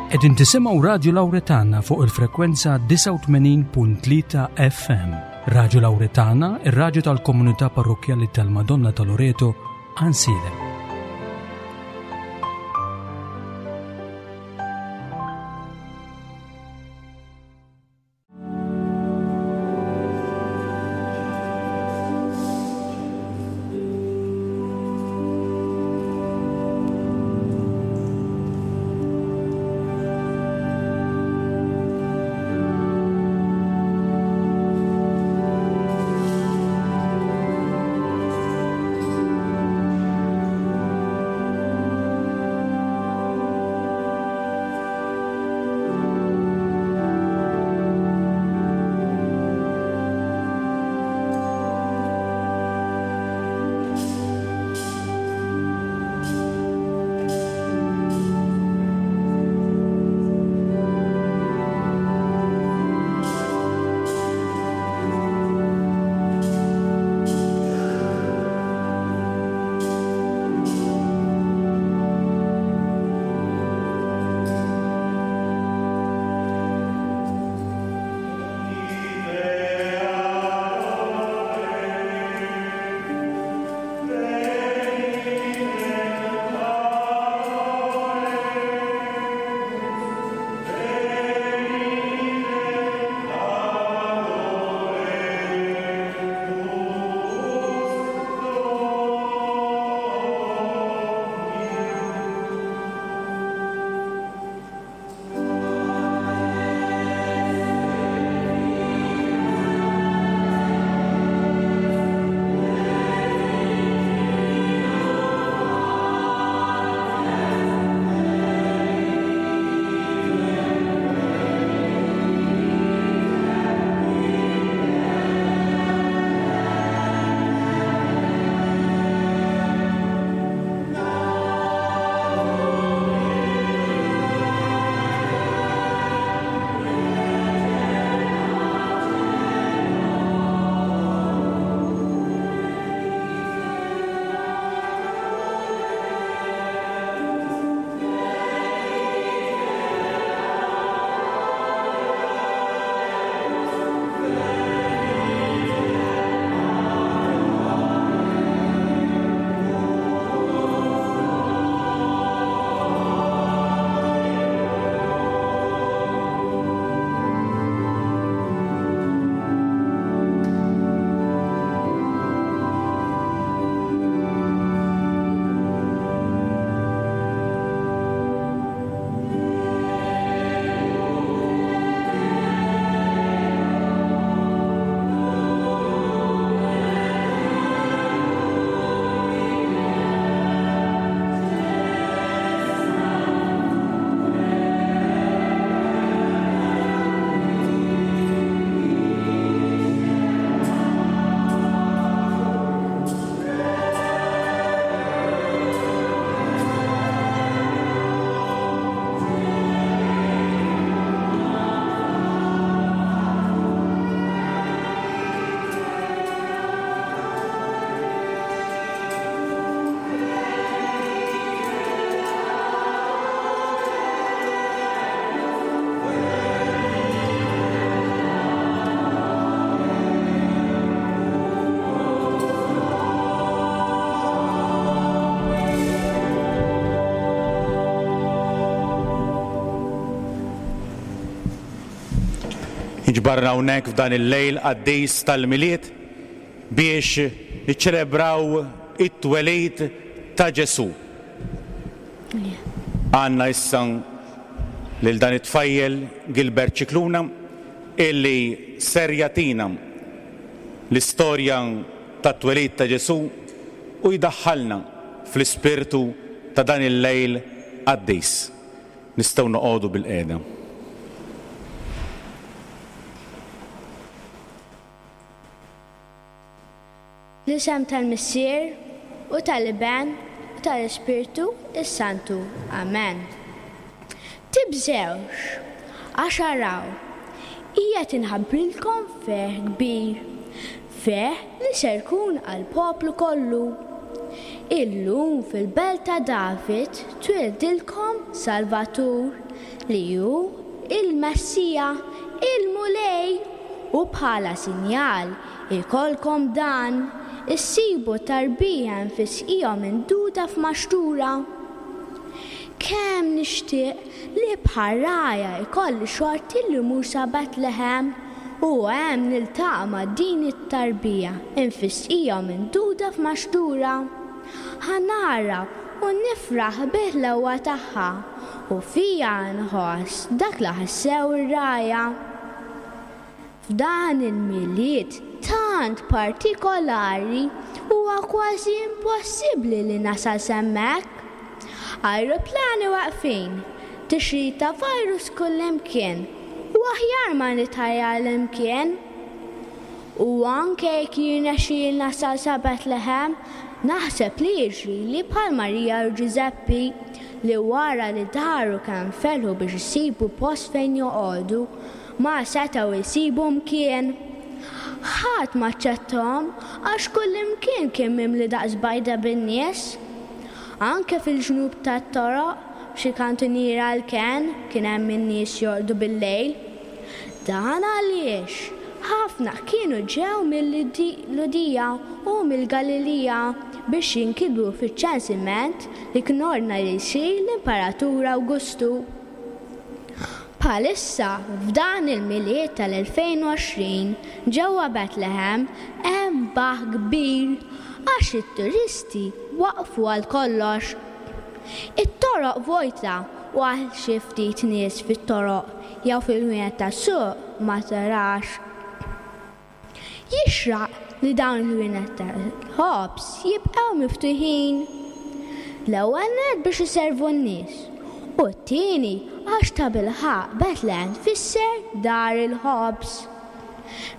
Qegħdin tisimgħu Radju Lawretana fuq il-frekwenza 89.3 FM. Radju Lawretana, ir-radju tal-komunità parrokkjali tal-Madonna ta' Loreto, Għansielem. Inġbarna hawnhekk f'dan il-lejl qaddis tal-Milied biex niċċelebraw it-twelid ta' Ġesù. Għandna issa lil dan it-tfajjel Gilbert Scicluna illi ser jagħtina l-istorja tat-twelid ta' Ġesù u jdaħħalna fl-ispirtu ta' dan il-lejl qaddis. Nistgħu noqogħdu bilqiegħda. Fl-isem tal-Missier, u tal-Iben, u tal-Ispirtu s-Santu. Amen. Tibżgħux, għax araw, qiegħed inħabbrilkom ferħ kbir, ferħ li ser jkun għall-poplu kollu. Illum fil-belt ta' David twieldilkom Salvatur. li hu il-Messija, il-Mulej, u bħala sinjal ikollkom dan, issibu tarbija mfisqija u minduda f'maxtura. Kemm nixtieq li bħar-rgħajja jkolli xorti li mmur sa Betlehem u hemm niltaqa' ma' din it-tarbija mfisqija u minduda f'maxtura. Ħa nara u nifraħ bil-ħlewwa tagħha u fija nħoss dak li ħassew ir-rgħajja. F'dan il-Milied tant partikolari huwa kważi impossibbli li nasal s'hemmhekk. Ajruplani weqfin, tixrid ta' virus kullimkien u aħjar ma nitħajjar imkien. U anke jekk jirnexxieli nasal sa Betlehem, naħseb li jiġrili bħal Marija u Ġużeppi li wara li daru kemm felħu biex isibu post fejn joqogħdu, Ma setgħu jsibu mkien. Ħadd ma aċċettahom għax kullimkien kien mimli daqs bajda bin-nies. Anke fil-ġnub tat-toroq, f'xi kantuniera għall-kenn, kien hemm in-nies jorqdu bil-lejl. Dan għaliex ħafna kienu ġew mil-Lhudija u mill-Galilija biex jinkitbu fiċ-ċensiment li kien ordna li jsir l-Imperatur Awgustu. Bħalissa, f'dan il-Milied tal-2020, ġewwa Betlehem hemm baħħ kbir għax it-turisti waqfu għal kollox. It-toroq vojta u għal xi ftit nies fit-toroq jew fil-ħwienet tas-suq ma tarax. Jixraq li dawn il-ħwienet tal-ħobż jibqgħu miftuħin. L-ewwel nett biex iservu n-nies u t-tieni għax tabilħaqq Betlehem tfisser dar il-ħobż.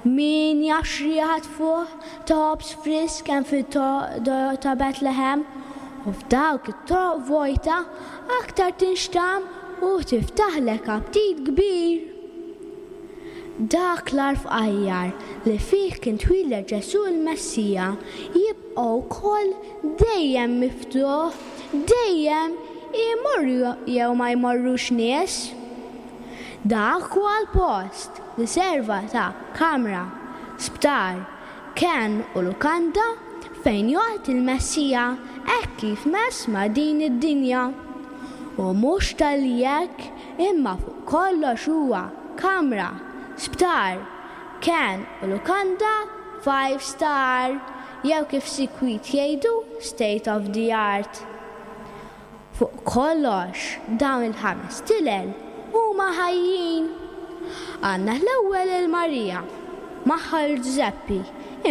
Min jaf x'riħa tfuħ ta' ħobż frisk hemm fit-toroq ta' Betlehem u f'dawk it-toroq vojta aktar tinxtamm u tiftaħlek aptit kbir. Dak l-għar fqajjar li fih kien twieled Ġesù l-Messija jibqa' wkoll dejjem miftuħ, dejjem, imorru jew ma jmorrux nies. Dak huwa l-post li serva ta' kamra, sptar, kenn u lukanda fejn joqgħod il-Messija hekk kif mess ma' din id-dinja. U mhux talli hekk imma fuq kollox huwa kamra, sptar, kenn u lukanda five star jew kif sikwit jgħidu state of the art. Fuq kollox, dawn il-ħames tilel huma ħajjin. Għandna l-ewwel 'il Marija, magħha 'l Ġużeppi,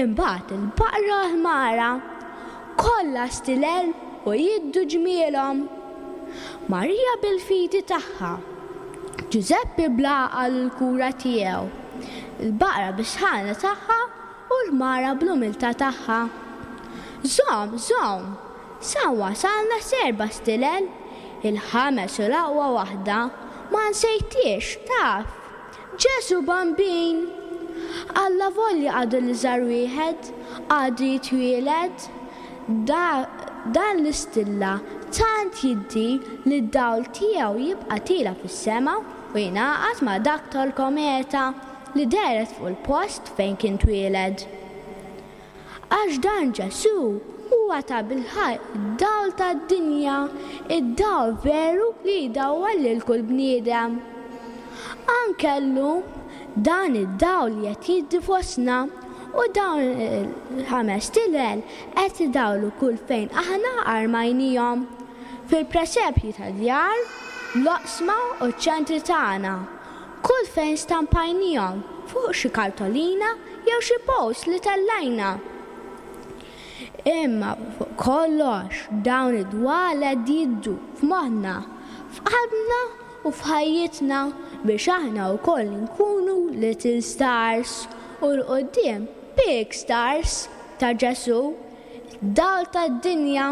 imbagħad il-baqra u l-ħmara. Kollha stilel u jiddu ġmielhom. Marija bil-fidi tagħha, Ġużeppi bl-għaqal u l-kura tiegħu, il-baqra bis-sħana tagħha u l-ħmara bl-umiltà tagħha. Żomm, żomm! Sa wasalna s'erba' stilel, il-ħames u l-aqwa waħda ma nsejthiex, taf! Ġesù Bambin! Allavolja għadu l-iżgħar wieħed, għadu jitwieled, da, dan l-istilla tant jiddi li d-dawl tiegħu jibqa' tiela' fis-sema u jingħaqad ma' dak tal-kometa li dehret fuq il-post fejn kien twieled. Għax dan Ġesù huwa tabilħaqq id-dawl tad-dinja, id-dawl veru li jdawwal lil kull bniedem. Anke llum, dan id-dawl qed jiddi fostna u dawn il-ħamest tilel qed idawlu kull fejn aħna armajnihom, fil-presepji tad-djar, l-oqsma u ċ-ċentri tagħna, Kull fejn stampajnihom fuq xi kartolina jew xi post li tellajna. Imma fuq kollox dawn id-dwal qed jiddu f'moħħna, f'qalbna u f'ħajjitna biex aħna wkoll inkunu little stars u 'l quddiem big stars ta' Ġesù. Dawl tad-dinja.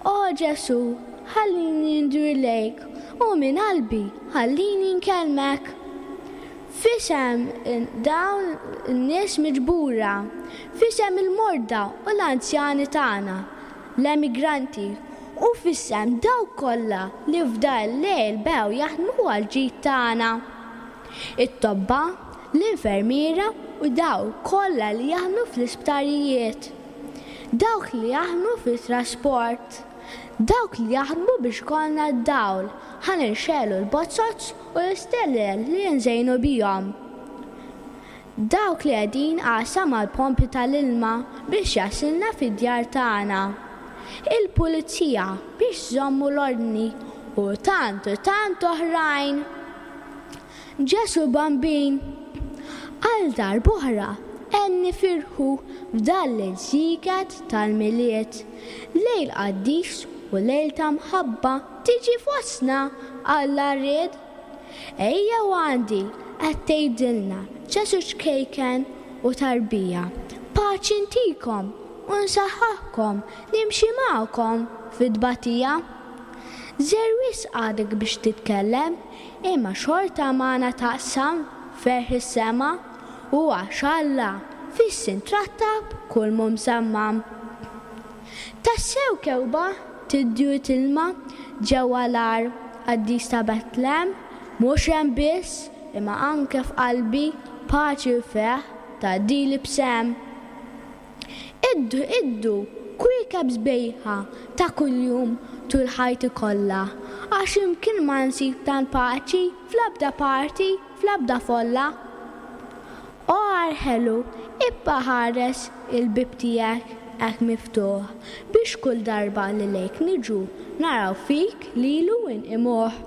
O Ġesù, ħallini ndur lejk u minn qalbi ħallini nkellmek. F'isem dawn in-nies miġbura, f'isem il-morda u l-anzjani tagħna, l-emigranti. U f'isem dawk kollha li f'dan il-lejl bew jaħdmu għall-ġid tagħna. It-tobba, l-infermiera u dawk kollha li jaħdmu fl-isptarijiet. Dawk li jaħdmu fit-trasport. Dawk li jaħdmu biex ikollna d-dawl ħa nixegħlu l-bozoz u l-istelel li nżejnu bihom. Dawk li qegħdin għassa mal-pompi tal-ilma biex jasilna fid-djar tagħna. Il-pulizija biex żommu l-ordni u tant u tant oħrajn. Ġesù Bambin, għal darb'oħra għen nifirħu f'dan l-irzieket tal-Milied. Lejl qaddis u lejl ta' mħabba tiġi fostna, Alla ried. Ejjew għandi, qed tgħidilna Ġesù ċkejken u tarbija. Paċi ntikom u nsaħħaħkom, nimxi magħkom fit-tbatija. Żgħir wisq għadek biex titkellem, imma xorta magħna taqsam ferħ is-sema, u għax Alla fis-sin trattab kull mhu msammam. Tassew kewba tiddi u tilma ġewwa l-għar qaddis ta' Betlehem, mhux hemm biss, imma anke f'qalbi paċi u ferħ tgħaddili b'sehem. Iddu, iddu, kwiekeb sbejħa ta' kuljum tul ħajti kollha, għax imkien ma nsib tant paċi fl-ebda parti, fl-ebda folla. O għar ħelu, ibqa' ħares il-bieb tiegħek hekk miftuħ, biex kull darba li lejk niġu naraw fik lilu inqimuh.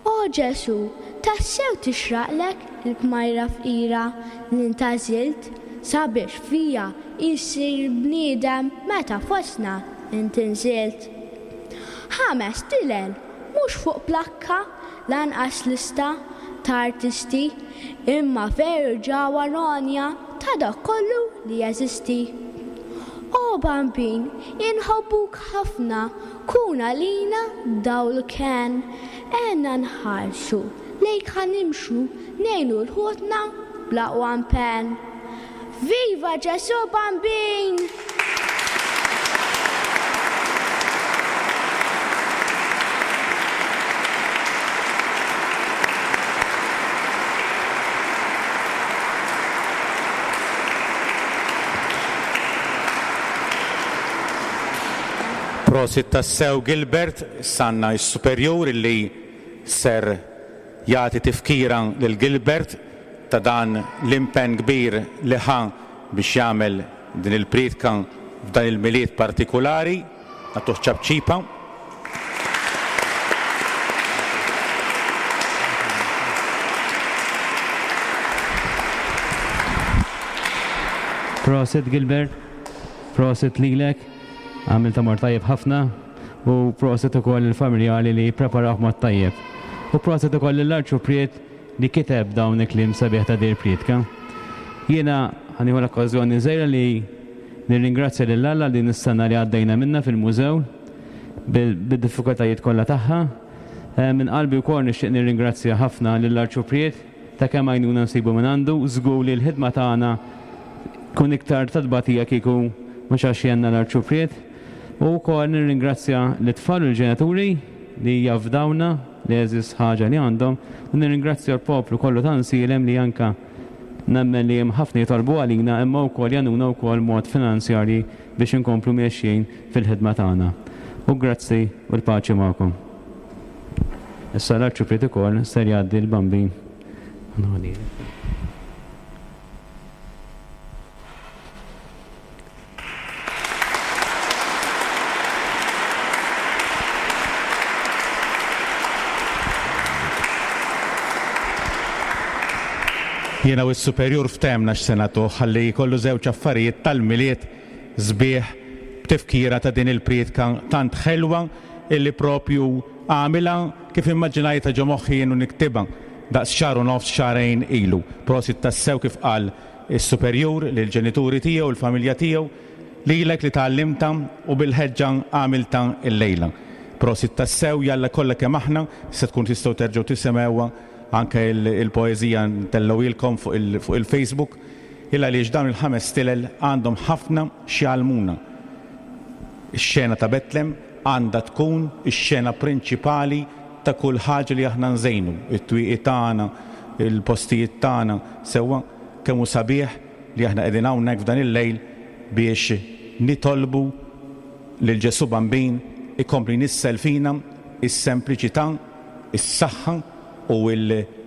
O Ġesù, tassew tixraqlek il-kmajra fqira li ntgħażilt sabiex fija jsir bniedem meta fostna int inżilt. Ħames tilel mhux fuq plakka lanqas lista ta' artisti, imma veru ġawhar għonja ta' dak kollu li jeżisti. O Bambin, inħobbuk ħafna, kun għalina dawl kenn, għenna nħarsu lejk ħa nimxu, ngħinu 'l ħutna bl-aqwa impenn. Viva Ġesù Bambin! Prosit tassew Gilbert, issa għandna s-superjur illi ser jagħti tifkira lil Gilbert ta' dan l-impenn kbir li ħa biex jagħmel din il-prietka f'dan il-Milied partikulari. Nagħtuh ċapċipa. Prosit Gilbert, prosit lilek, għamiltha mor tajjeb ħafna. U proset ukoll lill-familjali li ppreparawh b'mod tajjeb. U proset ukoll lill-Arċupriet li kiteb dawn il-kliem sabiħ ta' din il-prietka. Jiena ħa nieħu l-okkażjoni żgħira li nirringrazzja lil Alla għal din is-sena li għaddejna minnha fil-mużew bid-diffikultajiet kollha tagħha. Minn qalbi wkoll nixtieq nirringrazzja ħafna lill-Arċupriet ta' kemm għajnuna nsibu mingħandu. Żgur li l-ħidma tagħna tkun iktar ta' tbatija kieku mhux għax jgħinna l-Arċupriet. U wkoll nirringrazzja lit-tfal u l-ġenituri li jafdawna l-għeżież ħaġa li għandhom u nirringrazzja l-poplu kollu ta' Nsielem li anke nemmen li hemm ħafna jitolbu għalina imma wkoll jgħinuna wkoll mod finanzjarji biex inkomplu miexjin fil-ħidma tagħna. U grazzi u l-paċi magħkom. Issa l-Arċipriet ukoll ser jgħaddi l-Bambin. Jiena u s-Superjur ftehemna x'se nagħtuh ħalli jkollu żewġ affarijiet tal-Milied sbieħ b'tifkira ta' din il-prietka tant ħelwa illi propju għamilha kif immaġinajtha ġo moħħi jien u niktibha daqs xahar u nofs xahrejn ilu. Prosit tassew kif qal is-superjur, lill-ġenituri tiegħu, il-familja tiegħu, lilek li tgħallimtha u bil-ħeġġa għamiltha llejla. Prosit tassew, jalla kollha kemm aħna se tkun tistgħu terġgħu tisimgħuha anke l-poeżija ntellgħuhielkom fuq il-Facebook, il għaliex dawn il-ħames stilel għandhom ħafna x'jgħallmuna. Ix-xena ta' Betlem għandha tkun ix-xena prinċipali ta' kull ħaġa li aħna nżejnu, it-twieqi tagħna, il-postijiet tagħna, sewwa kemm hu sabiħ li aħna qegħdin hawnhekk f'dan il-lejl biex nitolbu lil Ġesù Bambin ikompli jnissel fina s-sempliċità, is-saħħa u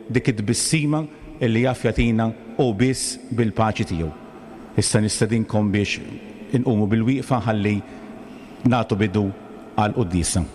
dik it-tbissima li jaf jagħtina hu biss bil-paċi tiegħu. Issa nistedinkom biex inqumu bil-wieqfa ħalli nagħtu bidu għall-quddiesa.